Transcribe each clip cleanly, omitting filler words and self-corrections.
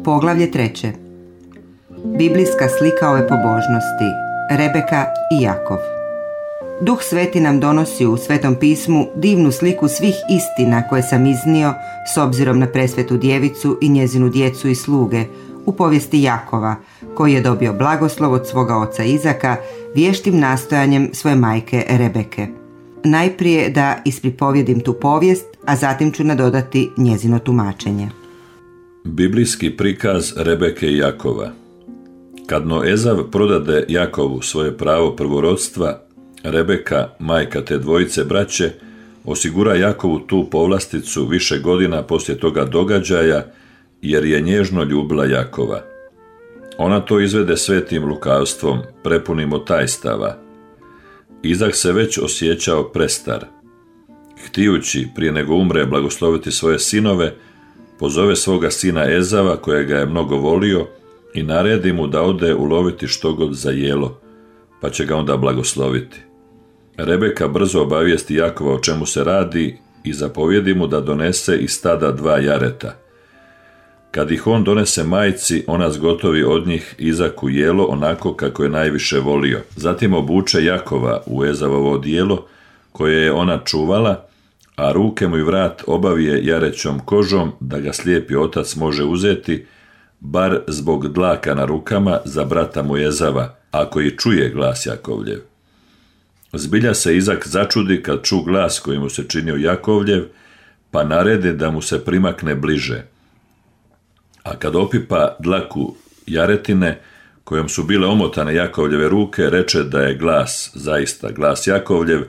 Poglavlje 3. Biblijska slika ove pobožnosti. Rebeka i Jakov. Duh Sveti nam donosi u Svetom pismu divnu sliku svih istina koje sam iznio s obzirom na presvetu djevicu i njezinu djecu i sluge u povijesti Jakova, koji je dobio blagoslov od svoga oca Izaka vještim nastojanjem svoje majke Rebeke. Najprije da ispripovjedim tu povijest, a zatim ću nadodati njezino tumačenje. Biblijski prikaz Rebeke i Jakova. Kadno Ezav prodade Jakovu svoje pravo prvorodstva, Rebeka, majka te dvojice braće, osigura Jakovu tu povlasticu više godina poslije toga događaja, jer je nježno ljubila Jakova. Ona to izvede svetim lukavstvom, prepunim od tajstava. Izak se već osjećao prestar. Htijući, prije nego umre, blagosloviti svoje sinove, pozove svoga sina Ezava, kojega je mnogo volio, i naredi mu da ode uloviti štogod za jelo, pa će ga onda blagosloviti. Rebeka brzo obavijesti Jakova o čemu se radi i zapovjedi mu da donese iz stada 2 jareta. Kad ih on donese majci, ona zgotovi od njih Izaku jelo onako kako je najviše volio. Zatim obuče Jakova u Ezavovo odijelo, koje je ona čuvala, a ruke mu i vrat obavije jarećom kožom, da ga slijepi otac može uzeti, bar zbog dlaka na rukama za brata mu Ezava, ako i čuje glas Jakovljev. Zbilja se Izak začudi kad ču glas koji mu se činio Jakovljev, pa naredi da mu se primakne bliže. A kad opipa dlaku jaretine, kojom su bile omotane Jakovljeve ruke, reče da je glas, zaista glas Jakovljev,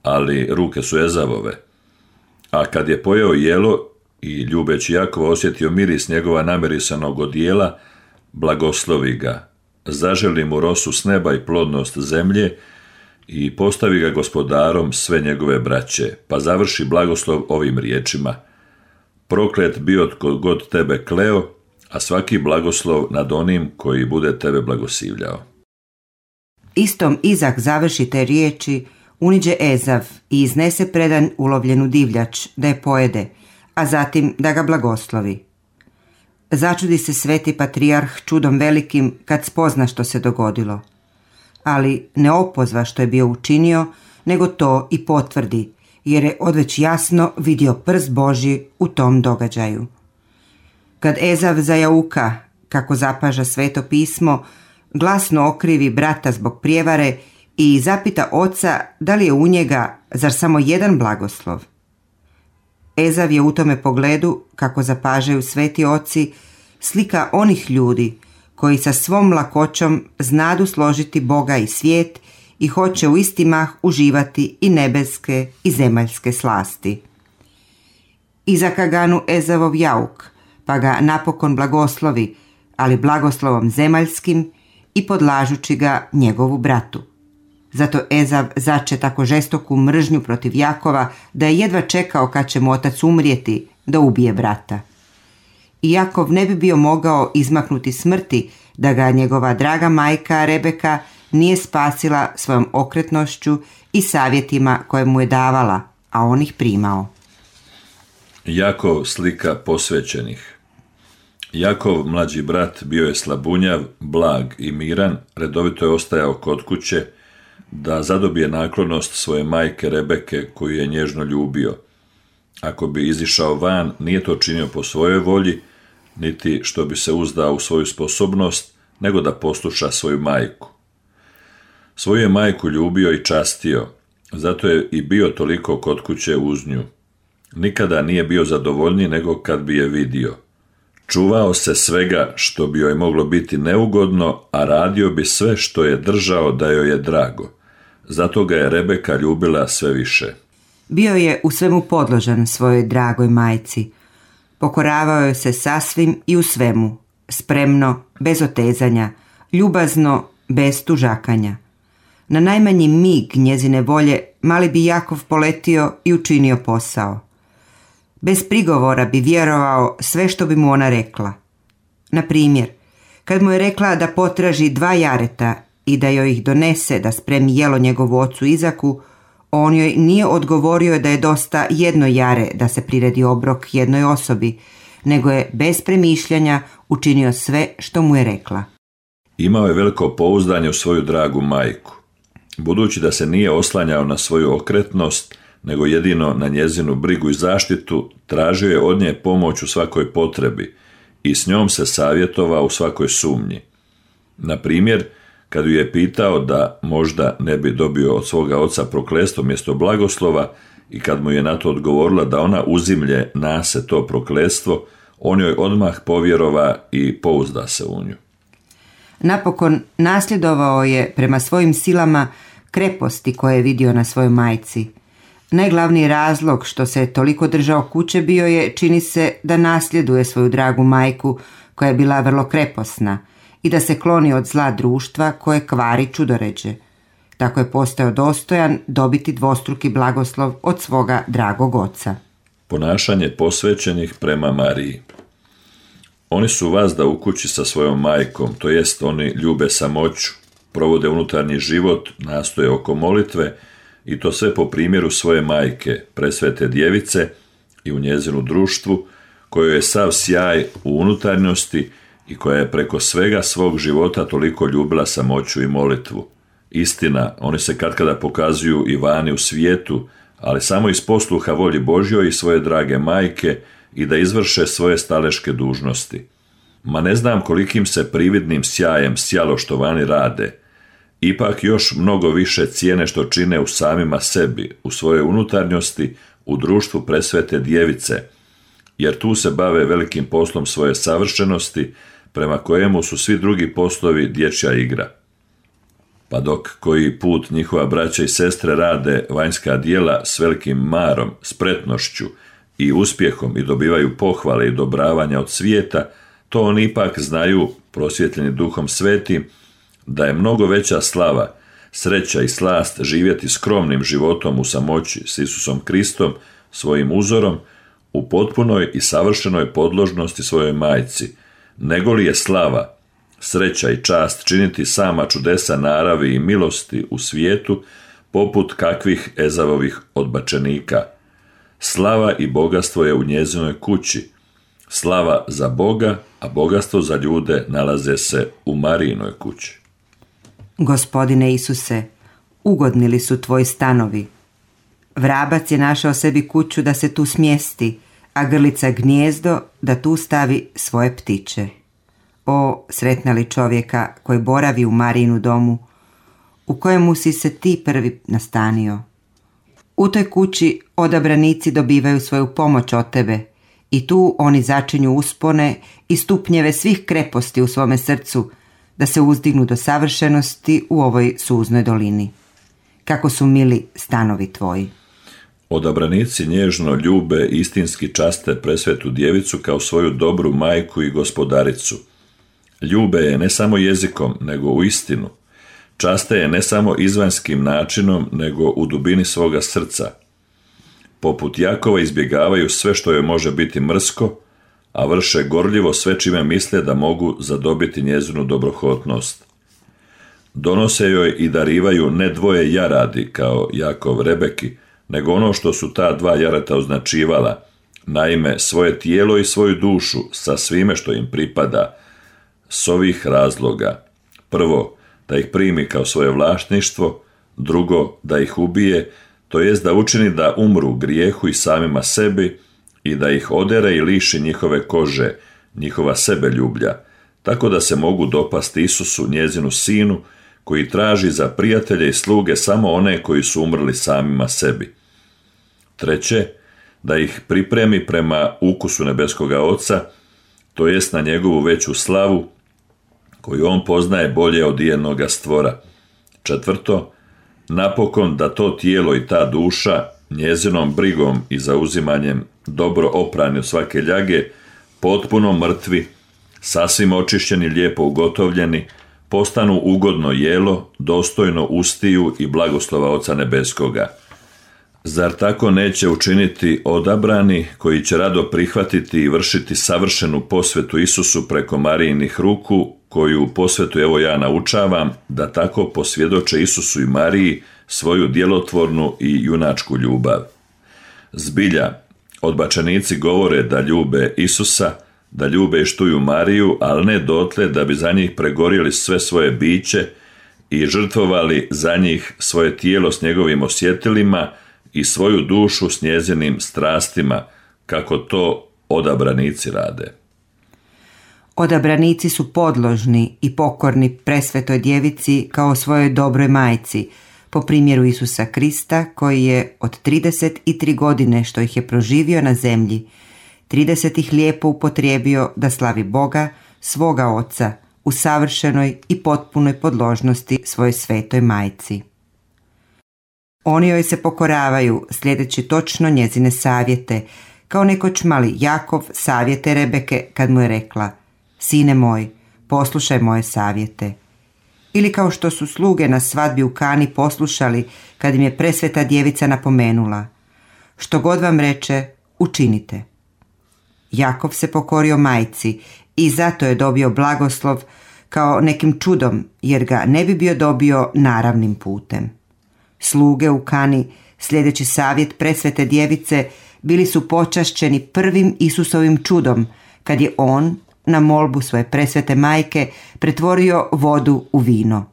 ali ruke su Ezavove. A kad je pojeo jelo i ljubeći Jakova osjetio miris njegova namirisanog odijela, blagoslovi ga, zaželi mu rosu s neba i plodnost zemlje i postavi ga gospodarom sve njegove braće, pa završi blagoslov ovim riječima: proklet bio tko god tebe kleo, a svaki blagoslov nad onim koji bude tebe blagosivljao. Istom Izak završi te riječi, uniđe Ezav i iznese predan ulovljenu divljač da je pojede, a zatim da ga blagoslovi. Začudi se sveti patrijarh čudom velikim kad spozna što se dogodilo. Ali ne opozva što je bio učinio, nego to i potvrdi, jer je odveć jasno vidio prst Božji u tom događaju. Kad Ezav zajauka, kako zapaža Sveto pismo, glasno okrivi brata zbog prijevare i zapita oca da li je u njega zar samo jedan blagoslov. Ezav je u tome pogledu, kako zapažaju sveti oci, slika onih ljudi koji sa svom lakoćom znadu složiti Boga i svijet i hoće u isti mah uživati i nebeske i zemaljske slasti. Izaka ganu Ezavov jauk, pa ga napokon blagoslovi, ali blagoslovom zemaljskim i podlažući ga njegovu bratu. Zato Ezav zače tako žestoku mržnju protiv Jakova da je jedva čekao kad će mu otac umrijeti da ubije brata. I Jakov ne bi bio mogao izmaknuti smrti da ga njegova draga majka Rebeka nije spasila svojom okretnošću i savjetima koje mu je davala, a on ih primao. Jakov slika posvećenih. Jakov, mlađi brat, bio je slabunjav, blag i miran, redovito je ostajao kod kuće da zadobije naklonost svoje majke Rebeke, koju je nježno ljubio. Ako bi izišao van, nije to činio po svojoj volji, niti što bi se uzdao u svoju sposobnost, nego da posluša svoju majku. Svoju je majku ljubio i častio, zato je i bio toliko kod kuće uz nju. Nikada nije bio zadovoljniji nego kad bi je vidio. Čuvao se svega što bi joj moglo biti neugodno, a radio bi sve što je držao da joj je drago. Zato ga je Rebeka ljubila sve više. Bio je u svemu podložan svojoj dragoj majci. Pokoravao joj se sasvim i u svemu, spremno, bez otezanja, ljubazno, bez tužakanja. Na najmanji mig njezine volje mali bi Jakov poletio i učinio posao. Bez prigovora bi vjerovao sve što bi mu ona rekla. Na primjer, kad mu je rekla da potraži 2 jareta i da joj ih donese da spremi jelo njegovu ocu Izaku, on joj nije odgovorio da je dosta 1 jare da se priredi obrok jednoj osobi, nego je bez premišljanja učinio sve što mu je rekla. Imao je veliko pouzdanje u svoju dragu majku. Budući da se nije oslanjao na svoju okretnost, nego jedino na njezinu brigu i zaštitu, tražio je od nje pomoć u svakoj potrebi i s njom se savjetovao u svakoj sumnji. Na primjer, kad ju je pitao da možda ne bi dobio od svoga oca prokletstvo mjesto blagoslova i kad mu je na to odgovorila da ona uzimlje na se to prokletstvo, on joj odmah povjerova i pouzda se u nju. Napokon nasljedovao je prema svojim silama kreposti koje je vidio na svojoj majci. Najglavniji razlog što se toliko držao kuće bio je, čini se, da nasljeduje svoju dragu majku koja je bila vrlo kreposna i da se kloni od zla društva koje kvari čudoređe. Tako je postao dostojan dobiti dvostruki blagoslov od svoga dragog oca. Ponašanje posvećenih prema Mariji. Oni su vazda u kući sa svojom majkom, to jest oni ljube samoću, provode unutarnji život, nastoje oko molitve i to sve po primjeru svoje majke, presvete djevice i u njezinu društvu, kojoj je sav sjaj u unutarnjosti i koja je preko svega svog života toliko ljubila samoću i molitvu. Istina, oni se katkada pokazuju i vani u svijetu, ali samo iz posluha volji Božjoj i svoje drage majke i da izvrše svoje staleške dužnosti. Ma ne znam kolikim se prividnim sjajem sjalo što vani rade, ipak još mnogo više cijene što čine u samima sebi, u svojoj unutarnjosti, u društvu presvete djevice, jer tu se bave velikim poslom svoje savršenosti, prema kojemu su svi drugi poslovi dječja igra. Pa dok koji put njihova braća i sestre rade vanjska djela s velikim marom, spretnošću i uspjehom i dobivaju pohvale i dobravanja od svijeta, to oni ipak znaju, prosvjetljeni Duhom Svetim, da je mnogo veća slava, sreća i slast živjeti skromnim životom u samoći s Isusom Kristom, svojim uzorom, u potpunoj i savršenoj podložnosti svojoj majci, nego li je slava, sreća i čast činiti sama čudesa naravi i milosti u svijetu, poput kakvih Ezavovih odbačenika. Slava i bogatstvo je u njezinoj kući. Slava za Boga, a bogatstvo za ljude nalaze se u Marijinoj kući. Gospodine Isuse, ugodni li su tvoji stanovi? Vrabac je našao sebi kuću da se tu smjesti, a grlica gnijezdo da tu stavi svoje ptiče. O, sretna li čovjeka koji boravi u Marijinu domu, u kojemu si se ti prvi nastanio. U toj kući odabranici dobivaju svoju pomoć od tebe i tu oni začinju uspone i stupnjeve svih kreposti u svome srcu, da se uzdignu do savršenosti u ovoj suznoj dolini. Kako su mili stanovi tvoji. Odabranici nježno ljube i istinski časte presvetu djevicu kao svoju dobru majku i gospodaricu. Ljube je ne samo jezikom, nego u istinu. Časte je ne samo izvanjskim načinom, nego u dubini svoga srca. Poput Jakova izbjegavaju sve što joj može biti mrsko, a vrše gorljivo sve čime misle da mogu zadobiti njezinu dobrohotnost. Donose joj i darivaju ne dvoje jaradi kao Jakov Rebeki, nego ono što su ta dva jareta označivala, naime svoje tijelo i svoju dušu sa svime što im pripada, s ovih razloga. Prvo, da ih primi kao svoje vlasništvo, drugo, da ih ubije, to jest da učini da umru grijehu i samima sebi i da ih odere i liši njihove kože, njihova sebeljublja, tako da se mogu dopasti Isusu, njezinu sinu, koji traži za prijatelje i sluge samo one koji su umrli samima sebi. Treće, da ih pripremi prema ukusu nebeskoga Oca, to jest na njegovu veću slavu, koju on poznaje bolje od ijednoga stvora. Četvrto, napokon da to tijelo i ta duša njezinom brigom i zauzimanjem dobro oprani od svake ljage, potpuno mrtvi, sasvim očišćeni, lijepo ugotovljeni, postanu ugodno jelo, dostojno ustiju i blagoslova Oca nebeskoga. Zar tako neće učiniti odabrani koji će rado prihvatiti i vršiti savršenu posvetu Isusu preko Marijinih ruku, koju posvetu evo ja naučavam, da tako posvjedoče Isusu i Mariji svoju djelotvornu i junačku ljubav. Zbilja, Odbačenici govore da ljube Isusa, da ljube i štuju Mariju, ali ne dotle da bi za njih pregorili sve svoje biće i žrtvovali za njih svoje tijelo s njegovim osjetilima i svoju dušu s njezinim strastima, kako to odabranici rade. Odabranici su podložni i pokorni presvetoj djevici kao svojoj dobroj majci, po primjeru Isusa Krista, koji je od 33 godine što ih je proživio na zemlji, 30 ih lijepo upotrijebio da slavi Boga, svoga Oca, u savršenoj i potpunoj podložnosti svojoj svetoj majci. Oni joj se pokoravaju, slijedeći točno njezine savjete, kao nekoć mali Jakov savjete Rebeke kad mu je rekla: Sine moj, poslušaj moje savjete. Ili kao što su sluge na svadbi u Kani poslušali kad im je presveta djevica napomenula: Što god vam reče, učinite. Jakov se pokorio majci i zato je dobio blagoslov kao nekim čudom, jer ga ne bi bio dobio naravnim putem. Sluge u Kani, sljedeći savjet presvete djevice, bili su počašćeni prvim Isusovim čudom, kad je on, na molbu svoje presvete majke, pretvorio vodu u vino.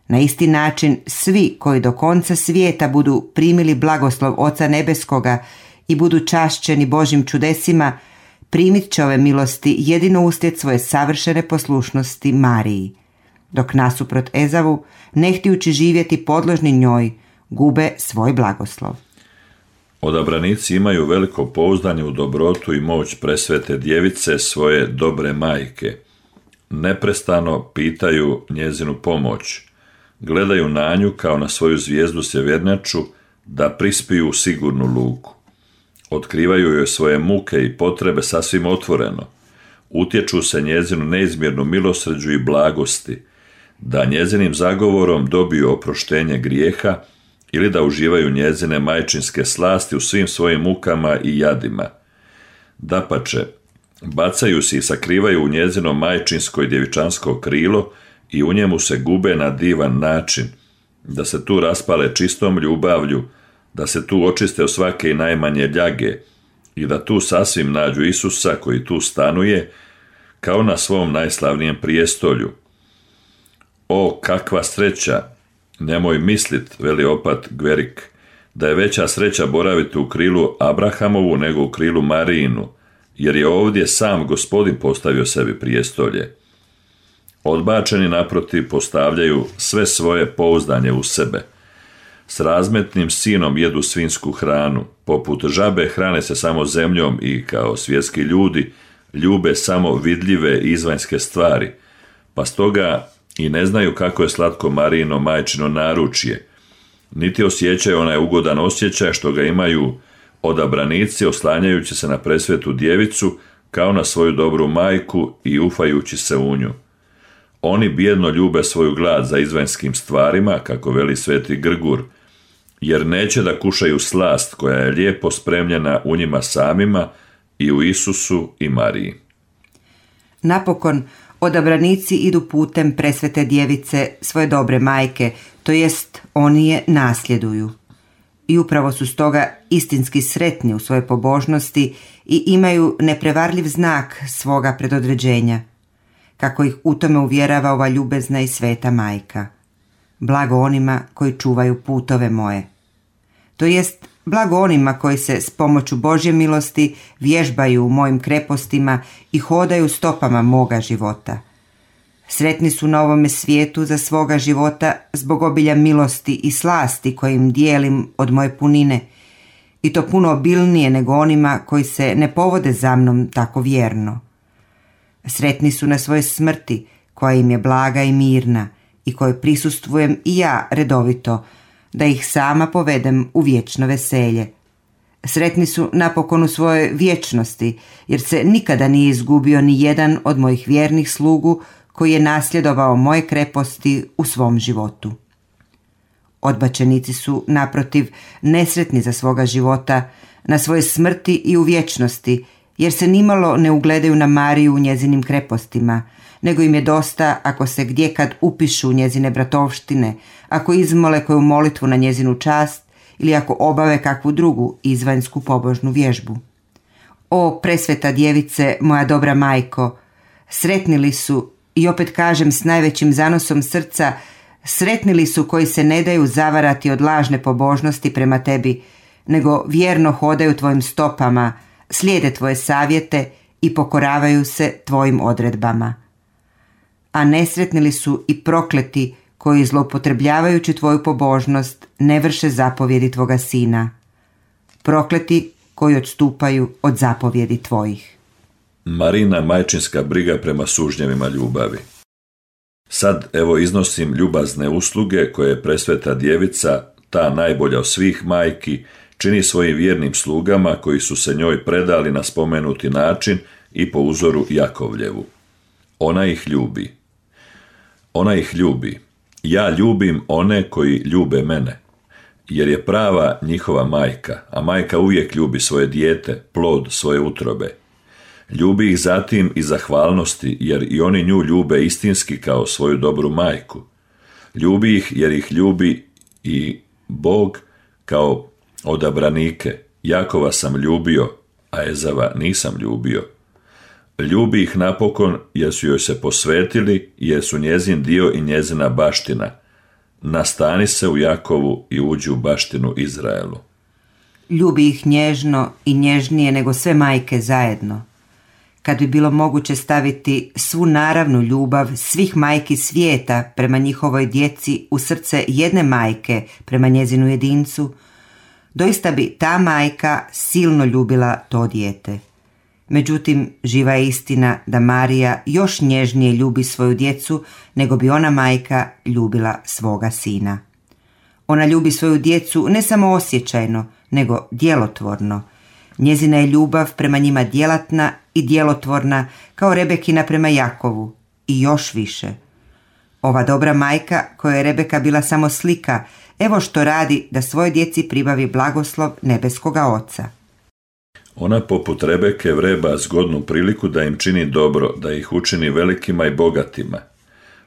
Na isti način svi koji do konca svijeta budu primili blagoslov Oca Nebeskoga i budu čašćeni Božjim čudesima, primit će ove milosti jedino uslijed svoje savršene poslušnosti Mariji, dok nasuprot Ezavu, ne htijući živjeti podložni njoj, gube svoj blagoslov. Odabranici imaju veliko pouzdanje u dobrotu i moć presvete djevice, svoje dobre majke. Neprestano pitaju njezinu pomoć. Gledaju na nju kao na svoju zvijezdu sjevernjaču da prispiju u sigurnu luku. Otkrivaju joj svoje muke i potrebe sasvim otvoreno. Utječu se njezinu neizmjernu milosrđu i blagosti, da njezinim zagovorom dobiju oproštenje grijeha ili da uživaju njezine majčinske slasti u svim svojim mukama i jadima. Dapače, bacaju se i sakrivaju u njezino majčinsko i djevičansko krilo i u njemu se gube na divan način, da se tu raspale čistom ljubavlju, da se tu očiste od svake i najmanje ljage i da tu sasvim nađu Isusa koji tu stanuje kao na svom najslavnijem prijestolju. O, kakva sreća! Nemoj mislit, veli opat Gverik, da je veća sreća boraviti u krilu Abrahamovu nego u krilu Marijinu, jer je ovdje sam Gospodin postavio sebi prijestolje. Odbačeni naprotiv postavljaju sve svoje pouzdanje u sebe. S razmetnim sinom jedu svinjsku hranu, poput žabe hrane se samo zemljom i kao svjetski ljudi ljube samo vidljive izvanjske stvari, pa stoga i ne znaju kako je slatko Marijino majčino naručje, niti osjećaju onaj ugodan osjećaj što ga imaju odabranici oslanjajući se na presvetu djevicu kao na svoju dobru majku i ufajući se u nju. Oni bijedno ljube svoju glad za izvanjskim stvarima, kako veli sveti Grgur, jer neće da kušaju slast koja je lijepo spremljena u njima samima i u Isusu i Mariji. Napokon, odabranici idu putem presvete djevice, svoje dobre majke, to jest oni je nasljeduju. I upravo su stoga istinski sretni u svojoj pobožnosti i imaju neprevarljiv znak svoga predodređenja, kako ih u tome uvjerava ova ljubezna i sveta majka. Blago onima koji čuvaju putove moje. To jest, blago onima koji se s pomoću Božje milosti vježbaju u mojim krepostima i hodaju stopama moga života. Sretni su na ovome svijetu za svoga života zbog obilja milosti i slasti kojim dijelim od moje punine, i to puno obilnije nego onima koji se ne povode za mnom tako vjerno. Sretni su na svoje smrti, koja im je blaga i mirna i kojoj prisustvujem i ja redovito, da ih sama povedem u vječno veselje. Sretni su napokon u svojoj vječnosti, jer se nikada nije izgubio ni jedan od mojih vjernih slugu koji je nasljedovao moje kreposti u svom životu. Odbačenici su, naprotiv, nesretni za svoga života, na svoje smrti i u vječnosti, jer se nimalo ne ugledaju na Mariju u njezinim krepostima, nego im je dosta ako se gdje kad upišu njezine bratovštine, ako izmole koju molitvu na njezinu čast ili ako obave kakvu drugu izvanjsku pobožnu vježbu. O presveta djevice, moja dobra majko, sretni li su, i opet kažem s najvećim zanosom srca, sretni li su koji se ne daju zavarati od lažne pobožnosti prema tebi, nego vjerno hodaju tvojim stopama, slijede tvoje savjete i pokoravaju se tvojim odredbama. A nesretni li su i prokleti koji zloupotrebljavajući tvoju pobožnost ne vrše zapovjedi tvoga sina, prokleti koji odstupaju od zapovjedi tvojih. Marina majčinska briga prema sužnjevima ljubavi. Sad evo iznosim ljubazne usluge koje presveta djevica, ta najbolja od svih majki, čini svojim vjernim slugama koji su se njoj predali na spomenuti način i po uzoru Jakovljevu. Ona ih ljubi. Ona ih ljubi. Ja ljubim one koji ljube mene, jer je prava njihova majka, a majka uvijek ljubi svoje dijete, plod svoje utrobe. Ljubi ih zatim i zahvalnosti, jer i oni nju ljube istinski kao svoju dobru majku. Ljubi ih jer ih ljubi i Bog kao odabranike. Jakova sam ljubio, a Ezava nisam ljubio. Ljubi ih napokon jer su joj se posvetili, jer su njezin dio i njezina baština. Nastani se u Jakovu i uđi u baštinu Izraelu. Ljubi ih nježno i nježnije nego sve majke zajedno. Kad bi bilo moguće staviti svu naravnu ljubav svih majki svijeta prema njihovoj djeci u srce jedne majke prema njezinu jedincu, doista bi ta majka silno ljubila to dijete. Međutim, živa je istina da Marija još nježnije ljubi svoju djecu nego bi ona majka ljubila svoga sina. Ona ljubi svoju djecu ne samo osjećajno, nego djelotvorno. Njezina je ljubav prema njima djelatna i djelotvorna kao Rebekina prema Jakovu i još više. Ova dobra majka, koja je Rebeka bila samo slika, evo što radi da svoj djeci pribavi blagoslov nebeskoga Oca. Ona poput Rebeke vreba zgodnu priliku da im čini dobro, da ih učini velikima i bogatima.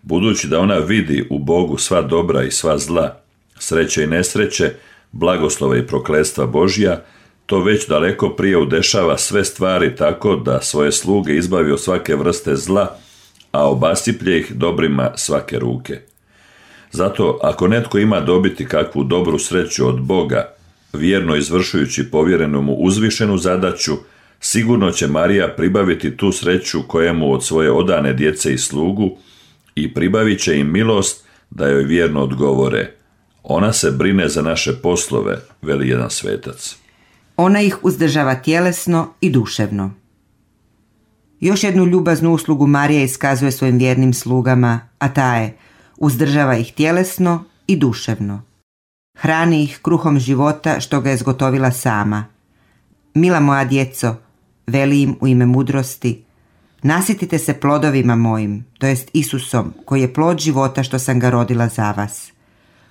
Budući da ona vidi u Bogu sva dobra i sva zla, sreće i nesreće, blagoslova i prokletstva Božja, to već daleko prije udešava sve stvari tako da svoje sluge izbavi od svake vrste zla, a obasiplje ih dobrima svake ruke. Zato, ako netko ima dobiti kakvu dobru sreću od Boga, vjerno izvršujući povjerenu mu uzvišenu zadaću, sigurno će Marija pribaviti tu sreću kojemu od svoje odane djece i slugu i pribavit će im milost da joj vjerno odgovore. Ona se brine za naše poslove, veli jedan svetac. Ona ih uzdržava tjelesno i duševno. Još jednu ljubaznu uslugu Marija iskazuje svojim vjernim slugama, a ta je uzdržava ih tjelesno i duševno. Hrani ih kruhom života što ga je zgotovila sama. Mila moja djeco, veli im u ime mudrosti, nasitite se plodovima mojim, to jest Isusom, koji je plod života što sam ga rodila za vas.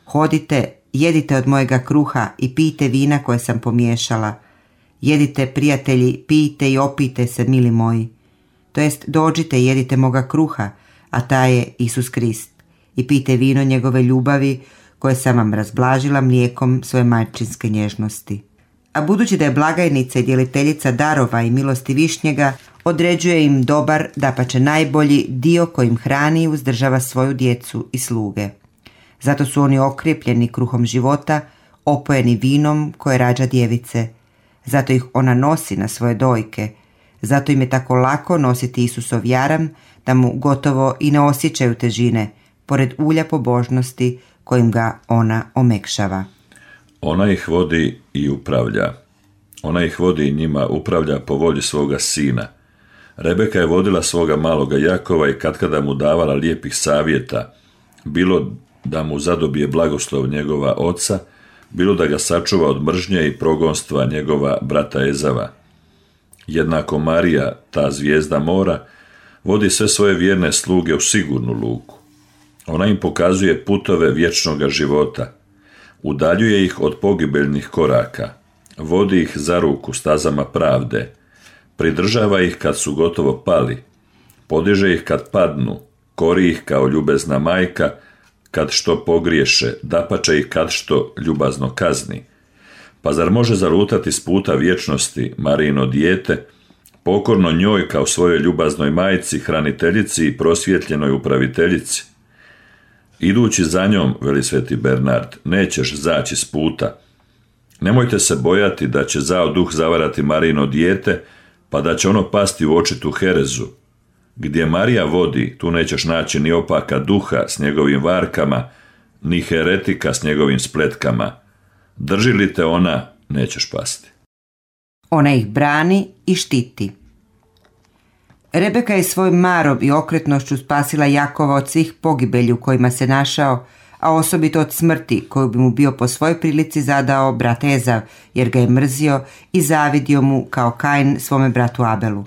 Hodite, jedite od mojega kruha i pijte vina koje sam pomiješala. Jedite, prijatelji, pijte i opijte se, mili moji. To jest dođite i jedite moga kruha, a taj je Isus Krist, i pijte vino njegove ljubavi koje sam vam razblažila mlijekom svoje majčinske nježnosti. A budući da je blagajnica i djeliteljica darova i milosti višnjega, određuje im dobar, dapače najbolji dio kojim hrani i uzdržava svoju djecu i sluge. Zato su oni okrijepljeni kruhom života, opojeni vinom koje rađa djevice. Zato ih ona nosi na svoje dojke. Zato im je tako lako nositi Isusov jaram da mu gotovo i ne osjećaju težine, pored ulja pobožnosti kojim ga ona omekšava. Ona ih vodi i upravlja. Ona ih vodi i njima upravlja po volji svoga sina. Rebeka je vodila svoga maloga Jakova i katkada mu davala lijepih savjeta, bilo da mu zadobije blagoslov njegova oca, bilo da ga sačuva od mržnje i progonstva njegova brata Ezava. Jednako Marija, ta zvijezda mora, vodi sve svoje vjerne sluge u sigurnu luku. Ona im pokazuje putove vječnoga života, udaljuje ih od pogibeljnih koraka, vodi ih za ruku stazama pravde, pridržava ih kad su gotovo pali, podiže ih kad padnu, kori ih kao ljubezna majka, kad što pogriješe, dapače ih kad što ljubazno kazni, Pa zar može zalutati s puta vječnosti Marijino dijete, pokorno njoj kao svojoj ljubaznoj majci, hraniteljici i prosvjetljenoj upraviteljici? Idući za njom, veli sveti Bernard, nećeš zaći s puta. Nemojte se bojati da će zao duh zavarati Marijino dijete, pa da će ono pasti u očitu herezu. Gdje Marija vodi, tu nećeš naći ni opaka duha s njegovim varkama, ni heretika s njegovim spletkama. Drži li te ona, nećeš pasti. Ona ih brani i štiti. Rebeka je svojim marom i okretnošću spasila Jakova od svih pogibelji u kojima se našao, a osobito od smrti koju bi mu bio po svojoj prilici zadao brat Ezav, jer ga je mrzio i zavidio mu kao Kain svome bratu Abelu.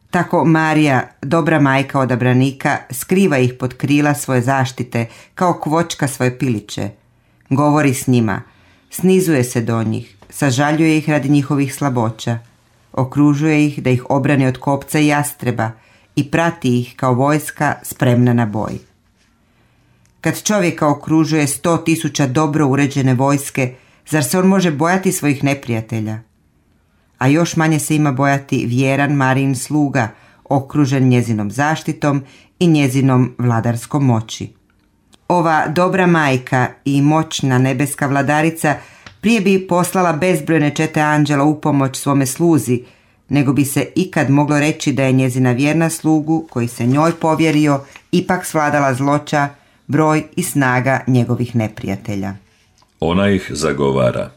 Tako Marija, dobra majka odabranika, skriva ih pod krila svoje zaštite, kao kvočka svoje piliće. Govori s njima, snizuje se do njih, sažaljuje ih radi njihovih slaboća, okružuje ih da ih obrani od kopca i jastreba i prati ih kao vojska spremna na boj. Kad čovjeka okružuje 100.000 dobro uređene vojske, zar se on može bojati svojih neprijatelja? A još manje se ima bojati vjeran Marijin sluga, okružen njezinom zaštitom i njezinom vladarskom moći. Ova dobra majka i moćna nebeska vladarica prije bi poslala bezbrojne čete anđela u pomoć svome sluzi, nego bi se ikad moglo reći da je njezina vjerna slugu, koji se njoj povjerio, ipak svladala zloća, broj i snaga njegovih neprijatelja. Ona ih zagovara.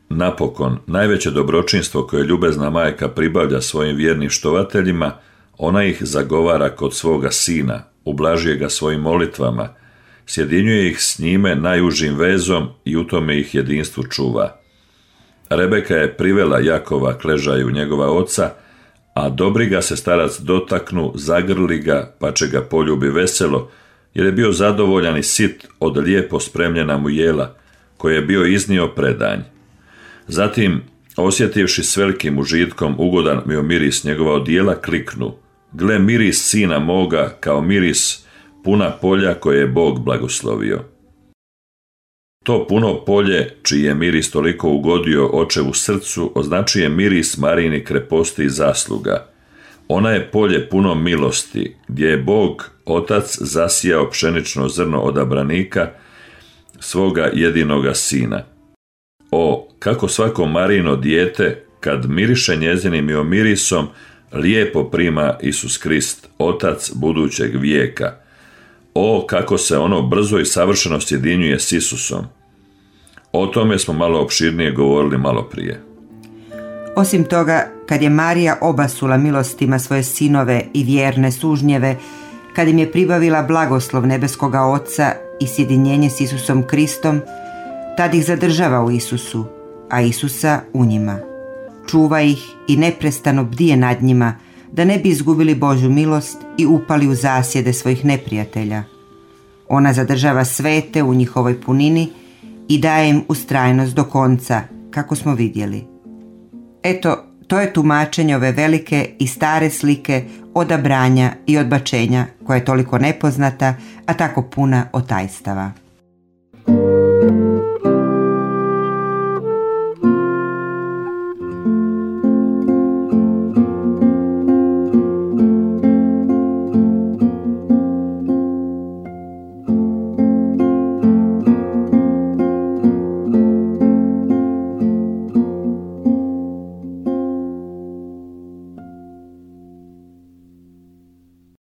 Napokon, najveće dobročinstvo koje ljubezna majka pribavlja svojim vjernim štovateljima, ona ih zagovara kod svoga sina, ublažuje ga svojim molitvama, sjedinjuje ih s njime najužim vezom i u tome ih jedinstvu čuva. Rebeka je privela Jakova k ležaju njegova oca, a dobri ga se starac dotaknu, zagrli ga, pa će ga poljubi veselo, jer je bio zadovoljan i sit od lijepo spremljena mu jela, koje je bio iznio predanj. Zatim, osjetivši s velikim užitkom ugodan mi miris njegova odijela, kliknu: gle, miris sina moga kao miris puna polja koje je Bog blagoslovio. To puno polje, čiji je miris toliko ugodio očevu srcu, označuje miris Marijini kreposti i zasluga. Ona je polje puno milosti, gdje je Bog, Otac, zasijao pšenično zrno odabranika, svoga jedinoga sina. O, kako svako Marijino dijete, kad miriše njezinim mirisom, lijepo prima Isus Krist, Otac budućeg vijeka. O, kako se ono brzo i savršeno sjedinjuje s Isusom. O tome smo malo opširnije govorili malo prije. Osim toga, kad je Marija obasula milostima svoje sinove i vjerne sužnjeve, kad im je pribavila blagoslov nebeskoga Oca i sjedinjenje s Isusom Kristom, tad ih zadržava u Isusu, a Isusa u njima. Čuva ih i neprestano bdije nad njima, da ne bi izgubili Božju milost i upali u zasjede svojih neprijatelja. Ona zadržava svete u njihovoj punini i daje im ustrajnost do konca, kako smo vidjeli. Eto, to je tumačenje ove velike i stare slike odabranja i odbačenja, koja je toliko nepoznata, a tako puna od tajstava.